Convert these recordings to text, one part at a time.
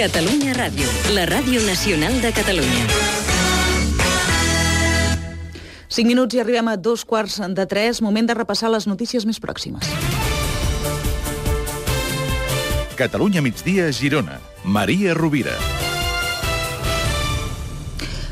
Catalunya Ràdio, la ràdio nacional de Catalunya. 5 minuts i arribem a 2:45, moment de repassar les notícies més pròximes. Catalunya migdia, Girona. Maria Rovira.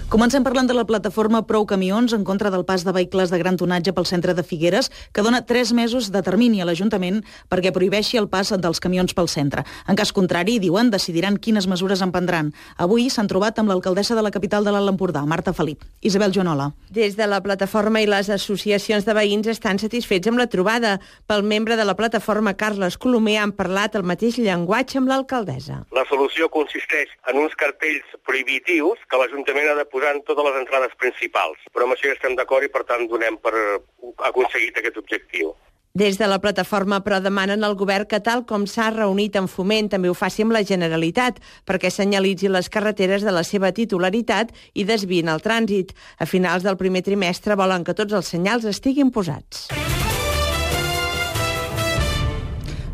Comencem parlant de la plataforma Prou Camions en contra del pas de vehicles de gran tonatge pel centre de Figueres, que dona 3 mesos de termini a l'Ajuntament perquè prohibeixi el pas dels camions pel centre. En cas contrari, diuen, decidiran quines mesures en prendran. Avui s'han trobat amb l'alcaldessa de la capital de l'Alt Empordà, Marta Felip. Isabel Joanola. Des de la plataforma i les associacions de veïns estan satisfets amb la trobada. Pel membre de la plataforma, Carles Colomer, han parlat el mateix llenguatge amb l'alcaldessa. La solució consisteix en uns cartells prohibitius que l'Ajuntament ha de posar en totes les entrades principals. Però amb això ja estem d'acord i, per tant, donem per aconseguit aquest objectiu. Des de la plataforma, però, demanen al govern que, tal com s'ha reunit en Foment, també ho faci amb la Generalitat, perquè senyalitzi les carreteres de la seva titularitat i desviïn el trànsit. A finals del primer trimestre volen que tots els senyals estiguin posats.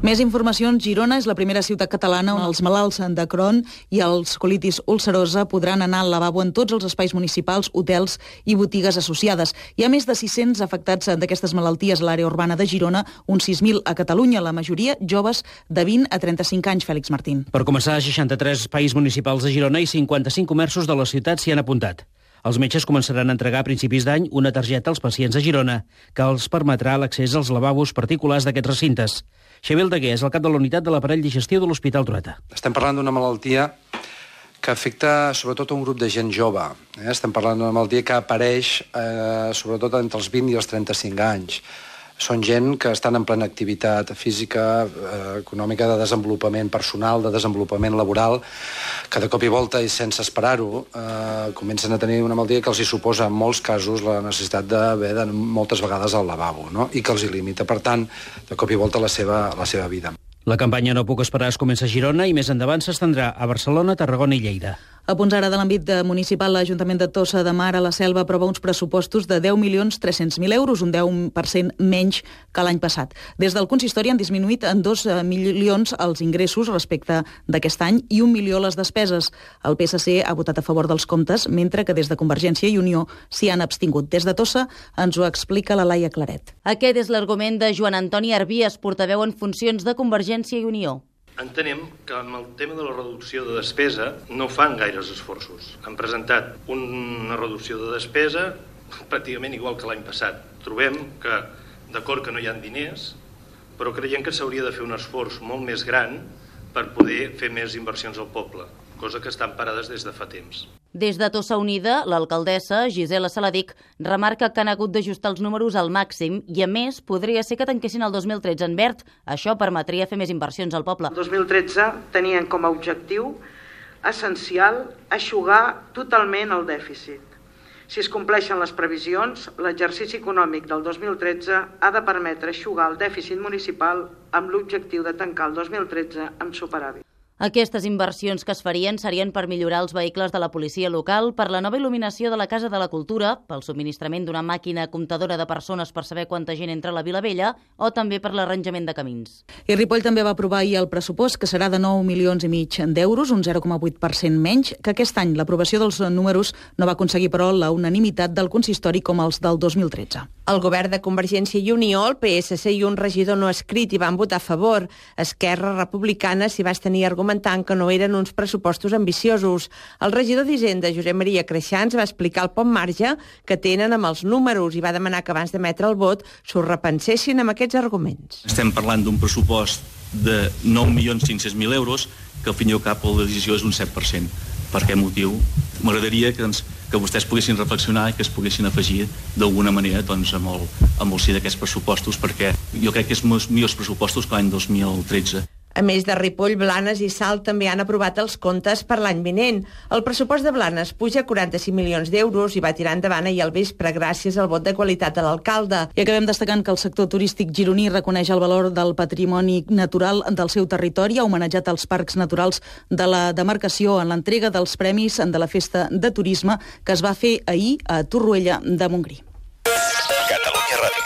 Més informacions. Girona és la primera ciutat catalana on els malalts de Crohn i els colitis ulcerosa podran anar al lavabo en tots els espais municipals, hotels i botigues associades. Hi ha més de 600 afectats d'aquestes malalties a l'àrea urbana de Girona, uns 6.000 a Catalunya, la majoria joves de 20 a 35 anys, Fèlix Martín. Per començar, 63 espais municipals de Girona i 55 comerços de la ciutat s'hi han apuntat. Els metges començaran a entregar a principis d'any una targeta als pacients de Girona, que els permetrà l'accés als lavabos particulars d'aquests recintes. Xavier Aldeguer és el cap de la unitat de l'aparell digestiu de l'Hospital Trueta. Estem parlant d'una malaltia que afecta sobretot a un grup de gent jove. Estem parlant d'una malaltia que apareix sobretot entre els 20 i els 35 anys. Són gent que estan en plena activitat física, econòmica, de desenvolupament personal, de desenvolupament laboral, que de cop i volta i sense esperar-ho comencen a tenir una malaltia que els hi suposa en molts casos la necessitat d'haver d'anar moltes vegades al lavabo, no? I que els hi limita, per tant, de cop i volta la seva vida. La campanya No puc esperar es comença a Girona i més endavant s'estendrà a Barcelona, Tarragona i Lleida. A punts ara de l'àmbit municipal, l'Ajuntament de Tossa de Mar a la Selva aprova uns pressupostos de 10.300.000 euros, un 10% menys que l'any passat. Des del consistori han disminuït en 2 milions els ingressos respecte d'aquest any i 1 milió les despeses. El PSC ha votat a favor dels comptes, mentre que des de Convergència i Unió s'hi han abstingut. Des de Tossa ens ho explica la Laia Claret. Aquest és l'argument de Joan Antoni Arbies, portaveu en funcions de Convergència i Unió. Entenem que amb el tema de la reducció de despesa no fan gaires esforços. Han presentat una reducció de despesa pràcticament igual que l'any passat. Trobem que, d'acord que no hi ha diners, però creiem que s'hauria de fer un esforç molt més gran per poder fer més inversions al poble, cosa que estan parades des de fa temps. Des de Tossa Unida, l'alcaldessa, Gisela Saladic, remarca que han hagut d'ajustar els números al màxim i, a més, podria ser que tanquessin el 2013 en verd. Això permetria fer més inversions al poble. El 2013 tenien com a objectiu essencial eixugar totalment el dèficit. Si es compleixen les previsions, l'exercici econòmic del 2013 ha de permetre eixugar el dèficit municipal amb l'objectiu de tancar el 2013 amb superàvit. Aquestes inversions que es farien serien per millorar els vehicles de la policia local, per la nova il·luminació de la Casa de la Cultura, pel subministrament d'una màquina comptadora de persones per saber quanta gent entra a la Vila Vella o també per l'arranjament de camins. I Ripoll també va aprovar ahir el pressupost, que serà de 9,5 milions d'euros, un 0,8% menys, que aquest any l'aprovació dels números no va aconseguir, però, la unanimitat del consistori com els del 2013. El govern de Convergència i Unió, el PSC i un regidor no escrit hi van votar a favor. Esquerra Republicana s'hi va tenir argumentant que no eren uns pressupostos ambiciosos. El regidor d'Hisenda, Josep Maria Creixans, va explicar el poc marge que tenen amb els números i va demanar que abans d'emetre el vot s'ho repensessin amb aquests arguments. Estem parlant d'un pressupost de 9.500.000 euros, que al fin i al cap la decisió és un 7%. Per aquest motiu m'agradaria que vostès poguessin reflexionar i que es poguessin afegir d'alguna manera amb el sí d'aquests pressupostos, perquè jo crec que és millors pressupostos que l'any 2013. A més de Ripoll, Blanes i Salt també han aprovat els comptes per l'any vinent. El pressupost de Blanes puja a 45 milions d'euros i va tirar endavant ahir al vespre gràcies al vot de qualitat de l'alcalde. I acabem destacant que el sector turístic gironí reconeix el valor del patrimoni natural del seu territori, ha homenatjat els parcs naturals de la demarcació en l'entrega dels premis de la Festa de Turisme que es va fer ahir a Torroella de Montgrí. Catalunya Ràdio.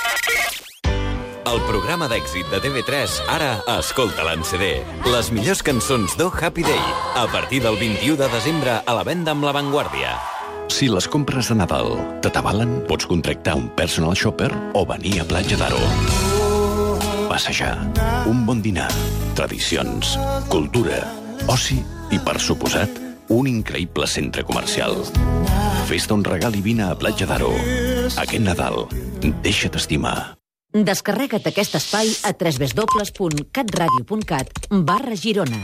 El programa d'èxit de TV3, ara escolta-la en CD. Les millors cançons d'O Happy Day, a partir del 21 de desembre a la venda amb La Vanguardia. Si les compres de Nadal t'atabalen, pots contractar un personal shopper o venir a Platja d'Aro. Passejar, un bon dinar, tradicions, cultura, oci i, per suposat, un increïble centre comercial. Fes-te un regal i vine a Platja d'Aro. Aquest Nadal, deixa't estimar. Descarrega't aquest espai a www.catradio.cat/Girona.